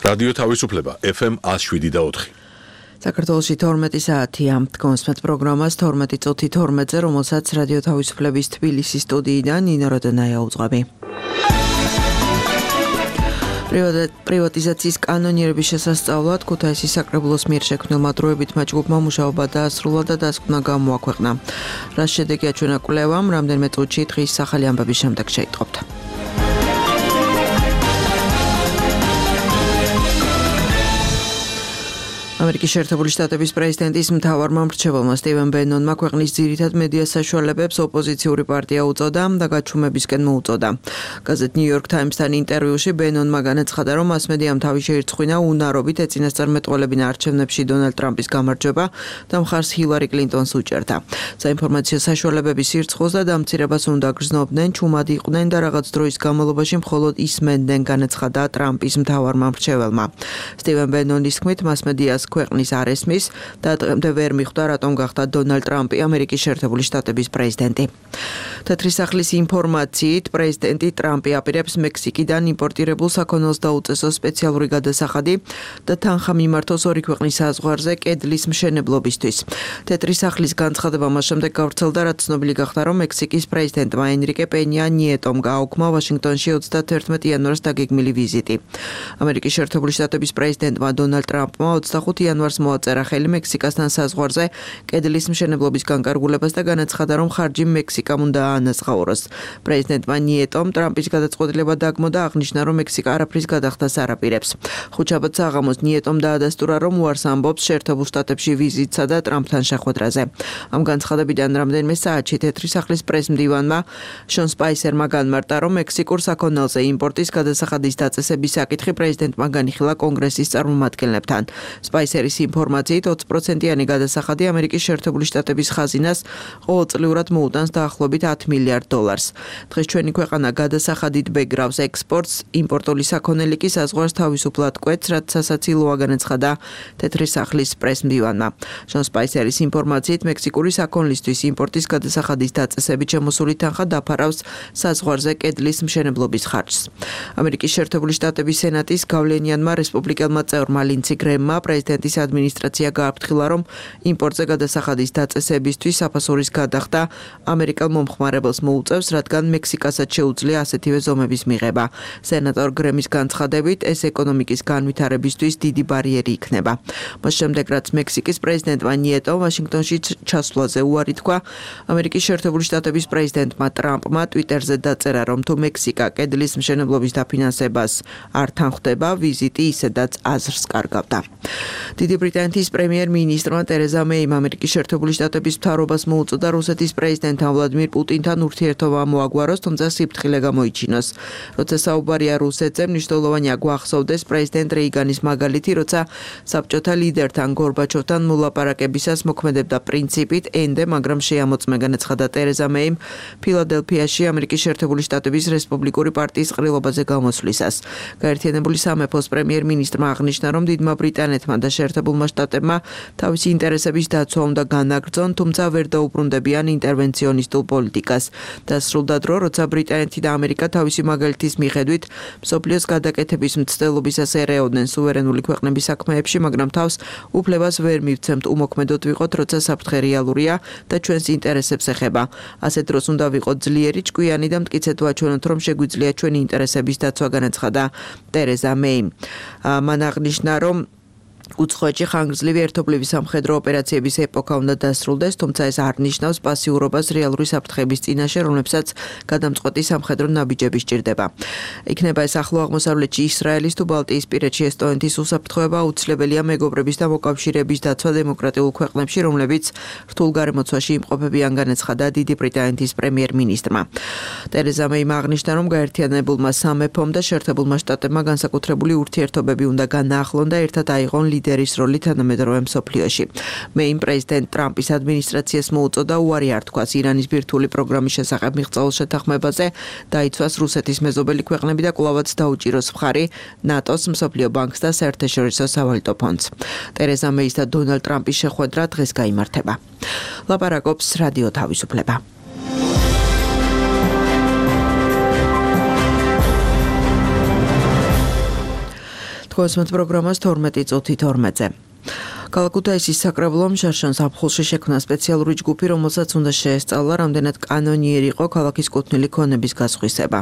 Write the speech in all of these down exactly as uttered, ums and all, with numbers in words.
რადიო თავისუფლება ეფ ემ ათს შვიდი და ოთხი. საქართველოში თორმეტი საათია. კონსმეთ პროგრამას თორმეტი წუთი თორმეტზე, რომელსაც რადიო თავისუფლების თბილისის სტუდიიდან ნინო როდონაია უძღვები. პრივატიზაციის კანონიერების შესასწავლად ქუთაისის საკრებულოს მიერ შექმნილმა დროებითმა ჯგუფმა მუშაობა დაასრულა და დასკვნა გამოაქვეყნა. რას შედეგია ჩვენა კვლევამ, რამდენიმე წუთში დღის სახალი ამბების შემდეგ შეიტყობთ. ამერიკის შეერთებული შტატების პრეზიდენტის მთავარმა მრჩეველმა სტივენ ბენონმა ქვეყნის ძირითად მედია საშუალებებს ოპოზიციური პარტია უწოდა და გაჩუმებისკენ მოუწოდა. გაზეთ New York Times-თან ინტერვიუში ბენონმა განაცხადა, რომ მასმედიამ თავი შეირცხვინა უნარობით ეწინასწარმეტყველებინა არჩევნებში დონალდ ტრამპის გამარჯვება და მხარს ჰილარი კლინტონს უჭერდა. საინფორმაციო საშუალებების სირცხვილს და დამცირებას უნდა გრძნობდნენ, ჩუმად იყვნენ და რაღაც დროის განმავლობაში მხოლოდ ისმენდნენ, განაცხადა ტრამპის მთავარმა მრჩეველმა. სტივენ ბენონის თქმით, მასმედიას ქვეყნის არ ესმის და დღემდე ვერ მიხვდა, რატომ გახდა დონალდ ტრამპი ამერიკის შეერთებული შტატების პრეზიდენტი. თეთრი სახლის ინფორმაციით, პრეზიდენტი ტრამპი აპირებს მექსიკიდან იმპორტირებულ საქონელს დაუწესო სპეციალური გადასახადი და თანხა მიმართოს ორი ქვეყნის საზღვარზე კედლის მშენებლობისთვის. თეთრი სახლის განცხადება მას შემდეგ გავრცელდა, რაც ცნობილი გახდა, რომ მექსიკის პრეზიდენტმა ენრიკე პენია ნიეტომ გააუქმა ვაშინგტონში ოცდათერთმეტი იანვარს დაგეგმილი ვიზიტი. ამერიკის შეერთებული შტატების პრეზიდენტმა დონალდ ტრამპმა ოცდახუთი იანვარს მოაწერა ხელი მექსიკასთან საზღვარზე კედლის მშენებლობის განკარგულებას და განაცხადა, რომ ხარჯი მექსიკამ უნდა აანაზღაუროს. პრეზიდენტმა ნიეტომ ტრამპის გადაწყვეტილება დაგმო და აღნიშნა, რომ მექსიკა არაფრის გადახდას არ აპირებს. ხუთშაბათ საღამოს ნიეტომ დაადასტურა, რომ უარს ამბობს შეერთებულ შტატებში ვიზიტსა და ტრამპთან შეხვედრაზე. ამ განცხადებიდან რამდენიმე საათში თეთრი სახლის პრესმდივანმა შონ სპაისერმა განმარტა, რომ მექსიკურ საქონელზე იმპორტის გადასახადის დაწესების საკითხი პრეზიდენტმა განიხილა კონგრესის წარმომადგენლებთან. სპაისერის ინფორმაციით ოცი პროცენტიანი გადასახადი ამერიკის შეერთებული შტატების ხაზინას ყოველწლიურად მოუტანს დაახლოებით ათ მილიარდ დოლარს. დღეს ჩვენი ქვეყანა გადასახადით ბეგრავს ექსპორტს, იმპორტული საქონელი კი საზღვარს თავისუფლად კვეთს, რაც სასაცილოა, განაცხადა თეთრი სახლის პრესმდივანმა. შონ სპაისერის ინფორმაციით მექსიკური საქონლისთვის იმპორტის გადასახადის დაწესებით შემოსული თანხა დაფარავს საზღვარზე კედლის მშენებლობის ხარჯს. ამერიკის შეერთებული შტატების სენატის გავლენიანმა რესპუბლიკელმა წევრმა ლინცი გრემმა პრეზიდენტის ადმინისტრაცია გააფრთხილა, რომ იმპორტზე გადასახადის დაწესებისთვის საფასურის გადახდა ამერიკელ მომხმარებელს მოუწევს, რადგან მექსიკასაც შეუძლია ასეთივე ზომების მიღება. სენატორ გრემის განცხადებით, ეს ეკონომიკის განვითარებისთვის დიდი ბარიერი იქნება. მას შემდეგ, რაც მექსიკის პრეზიდენტმა ნიეტომ ვაშინგტონში ჩასვლაზე უარი თქვა, ამერიკის შეერთებული შტატების პრეზიდენტმა ტრამპმა ტვიტერზე დაწერა, რომ თუ მექსიკა კედლის მშენებლობის დაფინანსებას არ თანხდება, ვიზიტი ისედაც აზრს კარგავდა. დიდი ბრიტანეთის პრემიერ-მინისტრმა ტერეზა მეიმ ამერიკის შეერთებული შტატების მთავრობას მოუწოდა რუსეთის პრეზიდენტთან ვლადიმირ პუტინთან ურთიერთობა მოაგვაროს, თუმცა სიფრთხილე გამოიჩინოს. როცა საუბარია რუსეთზე, მნიშვნელოვანია გვახსოვდეს პრეზიდენტ რეიგანის მაგალითი, როცა საბჭოთა ლიდერთან გორბაჩოვთან მოლაპარაკებისას მოქმედებდა პრინციპით ენდე, მაგრამ შეამოწმე, განაცხადა ტერეზა მეიმ ფილადელფიაში ამერიკის შეერთებული შტატების რესპუბლიკური პარტიის ყრილობაზე გამოსვლისას. გაერთიანებული სამეფოს პრემიერ-მინისტრმა აღნიშნა, რომ დიდმა ბრიტანეთმა და შეერთებულმა შტატებმა თავისი ინტერესების დაცვა უნდა განაგრძონ, თუმცა ვერ დაუბრუნდებიან ინტერვენციონისტულ პოლიტიკას. დასრულდა დრო, როცა ბრიტანეთი და ამერიკა თავისი მაგალითის მიხედვით მსოფლიოს გადაკეთების მცდელობისას ერეოდნენ სუვერენული ქვეყნების საქმეებში, მაგრამ თავს უფლებას ვერ მივცემთ უმოქმედოდ ვიყოთ, როცა საფრთხე რეალურია და ჩვენს ინტერესებს ეხება. ასეთ დროს უნდა ვიყოთ ძლიერი, ჭკვიანი და მტკიცედ ვაჩვენოთ, რომ შეგვიძლია ჩვენი ინტერესების დაცვა, განაცხადა ტერეზა მეიმ. მან აღნიშნა, რომ უცხოეთში ხანგრძლივი ერთობლივი სამხედრო ოპერაციების ეპოქა უნდა დასრულდეს, თუმცა ეს არ ნიშნავს პასიურობას რეალური საფრთხების წინაშე, რომლებსაც გადამწყვეტი სამხედრო ნაბიჯები სჭირდება. იქნება ეს ახლო აღმოსავლეთში, ისრაელის თუ ბალტიისპირეთში ესტონეთის უსაფრთხოება აუცილებელია მეგობრების და მოკავშირეების დაცვა დემოკრატიულ ქვეყნებში, რომლებიც რთულ გარემოცვაში იმყოფებიან, განაცხადა დიდი ბრიტანეთის პრემიერ-მინისტრმა. ტერეზა მეიმ აღნიშნა, რომ გაერთიანებულმა სამეფომ და შეერთებულმა შტატებმა განსაკუთრებული ურთიერთობები უნდა განაახლონ და ერთად აიღონ ლიდერის როლი თანამედროვე მსოფლიოში. მეიმ პრეზიდენტ ტრამპის ადმინისტრაციას მოუწოდა უარი არ თქვას ირანის ბირთვული პროგრამის შესახებ მიღწეულ შეთანხმებაზე, დაიცვას რუსეთის მეზობელი ქვეყნები და კვლავაც დაუჭიროს მხარი ნატოს, მსოფლიო ბანკს და საერთაშორისო სავალუტო ფონდს. ტერეზა მეის და დონალდ ტრამპის შეხვედრა დღეს გაიმართება. ლაპარაკობს რადიო თავისუფლება. თქვენს პროგრამას თორმეტი წუთი თორმეტზე. ქალაქ ქუთაისის საკრებულომ შარშან ზაფხულში შექმნა სპეციალური ჯგუფი, რომელსაც უნდა შეესწავლა რამდენად კანონიერი იყო ქალაქის კუთვნილი ქონების გასხვისება.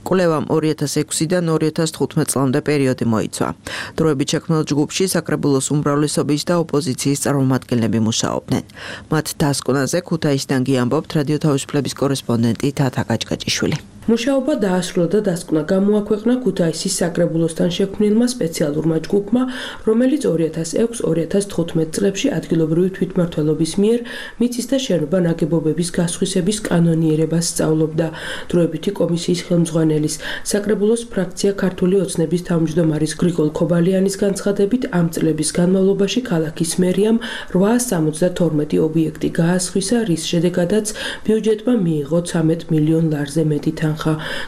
კვლევამ ორი ათას ექვსიდან ორი ათას თხუთმეტ წლამდე პერიოდი მოიცვა. დროებით შექმნილ ჯგუფში საკრებულოს უმრავლესობის და ოპოზიციის წარმომადგენლები მუშაობდნენ. მათ დასკვნაზე ქუთაისიდან გიამბობთ რადიო თავისუფლების კორესპონდენტი თათა გაჭგაჭიშვილი. მუშაობა დაასრულა და დასკვნა გამოაქვეყნა ქუთაისის საკრებულოსთან შექმნილმა სპეციალურმა ჯგუფმა, რომელიც ორი ათას ექვსი ორი ათას თხუთმეტ წლებში ადგილობრივი თვითმმართველობის მიერ მიწის და შენობა ნაგებობების გასხვისების კანონიერებას სწავლობდა. დროებითი კომისიის ხელმძღვანელის, საკრებულოს ფრაქცია ქართული ოცნების თავმჯდომარის გრიგოლ ქობალიანის განცხადებით, ამ წლების განმავლობაში ქალაქის მერიამ რვაას სამოცდათორმეტი ობიექტი გაასხვისა, რის შედეგადაც ბიუჯეტმა მიიღო ცამეტ მილიონ ლარზე მეტი თანხა.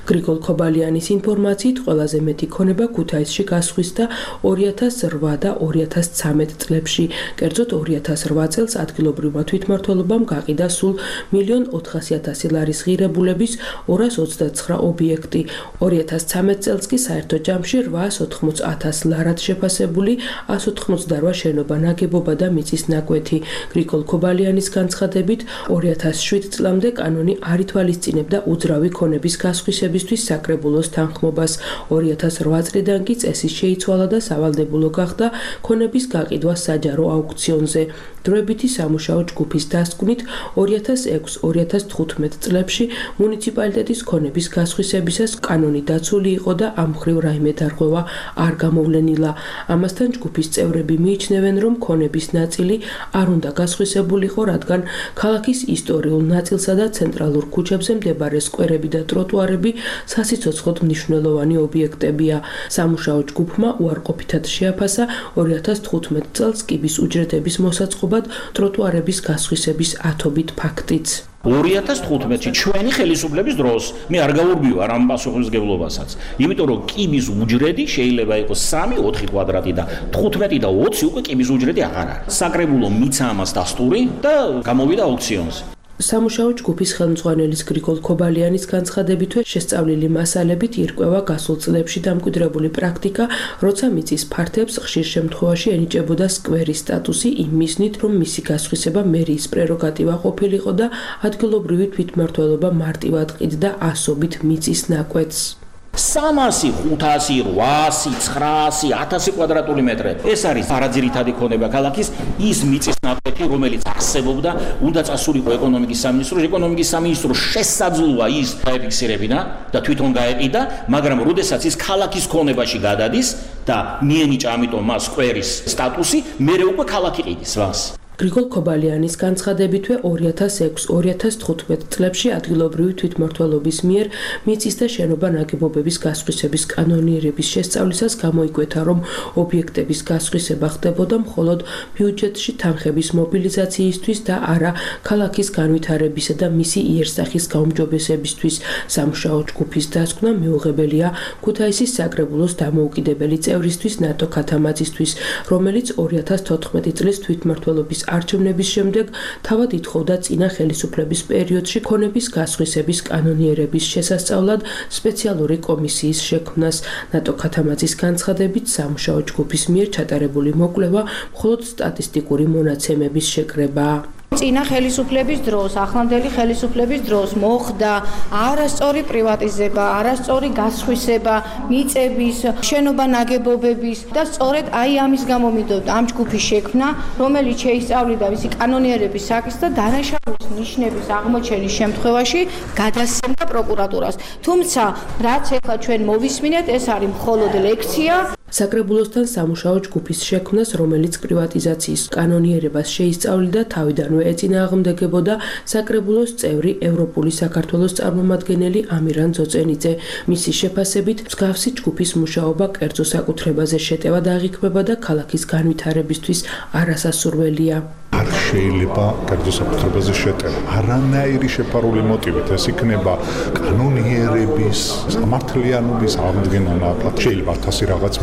გრიგოლ ქობალიანის ინფორმაციით ყველაზე მეტი ქონება ქუთაისში გასხვისდა ორი ათას რვა და ორი ათას ცამეტ წლებში. კერძოდ ორი ათას რვა წელს ადგილობრივმა თვითმმართველობამ გაყიდა სულ მილიონ ოთხასი ათასი ლარის ღირებულების ორას ოცდაცხრა ობიექტი. ორი ათას ცამეტ წელს კი საერთო ჯამში რვაას ოთხმოც ათას ლარად შეფასებული ას ოთხმოცდარვა შენობა ნაგებობა და მიწის ნაკვეთი. გრიგოლ ქობალიანის განცხადებით ორი ათას შვიდ წლამდე კანონი არ ითვალისწინებდა უძრავი ქონების გასხვისებისთვის საკრებულოს თანხმობას. ორი ათას რვა წლიდან კი წესი შეიცვალა და სავალდებულო გახდა ქონების გაყიდვა საჯარო აუქციონზე. დროებითი სამუშაო ჯგუფის დასკვნით ორი ათას ექვსი ორი ათას თხუთმეტ წლებში მუნიციპალიტეტის ქონების გასხვისებისას კანონი დაცული იყო და ამ მხრივ რაიმე დარღვევა არ გამოვლენილა. ამასთან ჯგუფის წევრები მიიჩნევენ, რომ ქონების ნაწილი არ უნდა გასხვისებულიყო, რადგან ქალაქის ისტორიულ ნაწილსა და ცენტრალურ ქუჩებზე მდებარე სკვერები და ტროტუარები სასიცოცხლოდ მნიშვნელოვანი ობიექტებია. სამუშაო ჯგუფმა უარყოფითად შეაფასა ორი ათას თხუთმეტ წელს კიბის უჯრედების მოსაწყობად ტროტუარების გასხვისების ათობით ფაქტიც. ორი ათას თხუთმეტში ჩვენი ხელისუფლების დროს მე არ გავურბივარ ამ პასუხისმგებლობასაც. იმიტომ რომ კიბის უჯრედი შეიძლება იყოს სამი ოთხი კვადრატი და თხუთმეტი და ოცი უკვე კიბის უჯრედი აღარ არის. საკრებულო მიცა ამას დასტური და გამოვიდა აუქციონზე. სამუშაო ჯგუფის ხელმძღვანელის გრიგოლ ქობალიანის განცხადებითვე შესწავლილი მასალებით ირკვევა გასულ წლებში დამკვიდრებული პრაქტიკა, როცა მიწის ფართებს ხშირ შემთხვევაში ენიჭებოდა სკვერის სტატუსი იმ მიზნით, რომ მისი გასხვისება მერიის პრეროგატივა ყოფილიყო და ადგილობრივი თვითმმართველობა მარტივად ყიდდა ასობით მიწის ნაკვეთს. სამასი, ხუთასი, რვაასი, ცხრაასი, ათასი კვადრატული მეტრი. ეს არის არაძირითადი ქონება ქალაქის, ის მიწის ნაკვეთი, რომელიც არსებობდა, უნდა წასულიყო ეკონომიკის სამინისტროში. ეკონომიკის სამინისტრო შესაძლოა ის დაეფიქსირებინა და თვითონ გაეყიდა, მაგრამ როდესაც ის ქალაქის ქონებაში გადადის და მიენიჭა ამიტომ მას სკვერის სტატუსი, მერე უკვე ქალაქი ყიდის მას. გრიგოლ ქობალიანის განცხადებითვე ორი ათას ექვსი ორი ათას თხუთმეტ წლებში ადგილობრივი თვითმმართველობის მიერ მიწის და შენობა ნაგებობების გასხვისების კანონიერების შესწავლისას გამოიკვეთა, რომ ობიექტების გასხვისება ხდებოდა მხოლოდ ბიუჯეტში თანხების მობილიზაციისთვის და არა ქალაქის განვითარებისა და მისი იერსახის გაუმჯობესებისთვის. სამუშაო ჯგუფის დასკვნა მიუღებელია ქუთაისის საკრებულოს დამოუკიდებელი წევრისთვის ნატო ქათამაძისთვის, რომელიც ორი ათას თოთხმეტი წლის თვითმმართველობის არჩევნების შემდეგ თავად ითხოვდა წინა ხელისუფლების პერიოდში ქონების გასხვისების კანონიერების შესასწავლად სპეციალური კომისიის შექმნას. ნატო ქათამაძის განცხადებით, სამუშაო ჯგუფის მიერ ჩატარებული მოკვლევა მხოლოდ სტატისტიკური მონაცემების შეკრებაა. წინა ხელისუფლების დროს, ახლანდელი ხელისუფლების დროს მოხდა არასწორი პრივატიზება, არასწორი გასხვისება მიწების, შენობა ნაგებობების და სწორედ აი ამის გამო მიდოდა ამ ჯგუფის შექმნა, რომელიც შეისწავლიდა მისი კანონიერების საკითხს და დანაშაულის ნიშნების აღმოჩენის შემთხვევაში გადასცემდა პროკურატურას. თუმცა, რაც ახლა ჩვენ მოვისმინეთ, ეს არის მხოლოდ ლექცია. საკრებულოსთან სამუშაო ჯგუფის შექმნას, რომელიც პრივატიზაციის კანონიერებას შეისწავლიდა, თავიდანვე ეწინააღმდეგებოდა საკრებულოს წევრი ევროპული საქართველოს წარმომადგენელი ამირან ძოწენიძე. მისი შეფასებით, მსგავსი ჯგუფის მუშაობა კერძო საკუთრებაზე შეტევად აღიქმება და ქალაქის განვითარებისთვის არასასურველია. არ შეიძლება კერძო საკუთრებაზე შეტევა. არანაირი შეფარული მოტივით ეს იქნება კანონიერების, სამართლიანობის აღდგენა ნაკლად. შეიძლება ათასი რაღაც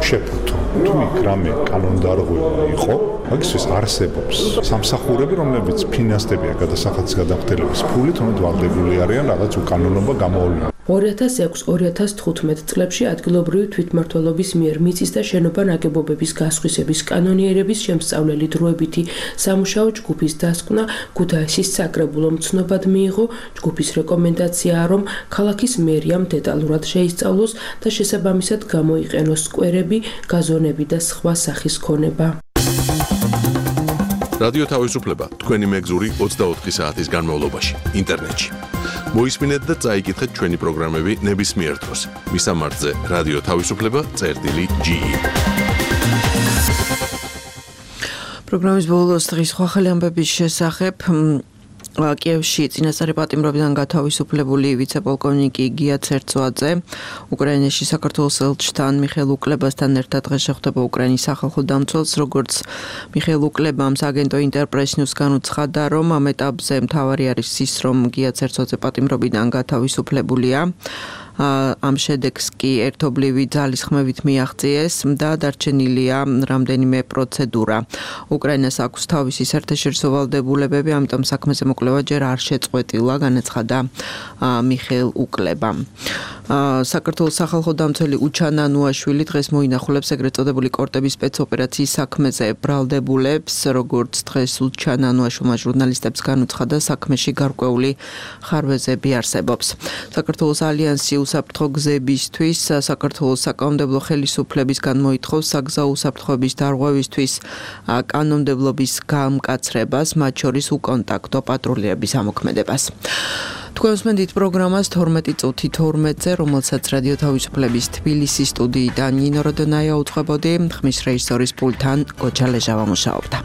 შეფუთო. თუ იქ რამე კანონდარღვევა იყო, მაგისთვის არსებობს სამსახურები, რომლებიც ფინანსდებიან გადასახადის გადამხდელების ფულით, თუმცა ვალდებული არიან რაღაც უკანონობა გამოავლინონ. ორი ათას ექვსი ორი ათას თხუთმეტ წლებში ადგილობრივი თვითმმართველობის მიერ მიწის და შენობა ნაგებობების გასხვისების კანონიერების შემსწავლელი დროებითი სამუშაო ჯგუფის დასკვნა ქუთაისის საკრებულო მცნობად მიიღო. ჯგუფის რეკომენდაციაა, რომ ქალაქის მერიამ დეტალურად შეისწავლოს და შესაბამისად გამოიყენოს სკვერები, გაზონები და სხვა სახის ქონება. რადიო თავისუფლება თქვენი მეგზური ოცდაოთხი საათის განმავლობაში ინტერნეტში. მოისმინეთ და წაიკითხეთ ჩვენი პროგრამები ნებისმიერ დროს. მისამართზე რადიო თავისუფლება წერტილი ჯი. პროგრამის ბოლოს დღის სხვა ხელი ამბების შესახებ კიევში წინასწარი პატიმრობიდან გათავისუფლებული ვიცე-პოლკოვნიკი გია ცერცვაძე უკრაინაში საქართველოს ელჩთან მიხეილ უკლებასთან ერთად დღეს შეხვდება უკრაინის სახალხო დამცველს. როგორც მიხეილ უკლებამ სააგენტო ინტერპრეს ნიუს განუცხადა, რომ ამ ეტაპზე მთავარი არის ის, რომ გია ცერცვაძე პატიმრობიდან გათავისუფლებულია. ამ შედეგს კი ერთობლივი ძალის ხმებით მიაღწიეს და დარჩენილია რამდენიმე პროცედურა. უკრაინას აქვს თავისი საერთაშორისო ვალდებულებები, ამიტომ საქმეზე მოკვლევა ჯერ არ შეწყვეტილა, განაცხადა მიხეილ უკლებამ. საქართველოს სახალხო დამცველი უჩანა ნუაშვილი დღეს მოინახულებს ეგრეთ წოდებული კორტების სპეცოპერაციის საქმეზე ბრალდებულებს. როგორც დღეს უჩანა ნუაშვილმა ჟურნალისტებს განუცხადა, საქმეში გარკვეული ხარვეზები არსებობს. საქართველოს ალიანსი უსაფრთხო გზებისთვის საქართველოს საკანონმდებლო ხელისუფლებისგან მოითხოვს საგზაო უსაფრთხოების დარღვევისთვის კანონმდებლობის გამკაცრებას, მათ შორის უკონტაქტო პატრულირების ამოქმედებას. თქვენ უსმენთ პროგრამას თორმეტი წუთი თორმეტზე, რომელსაც რადიო თავისუფლების თბილისის სტუდიიდან ნინო როდონაია უძღვებოდი, ხმის რეჟისორის პულტთან გოჩა ლეჟავა მუშაობდა.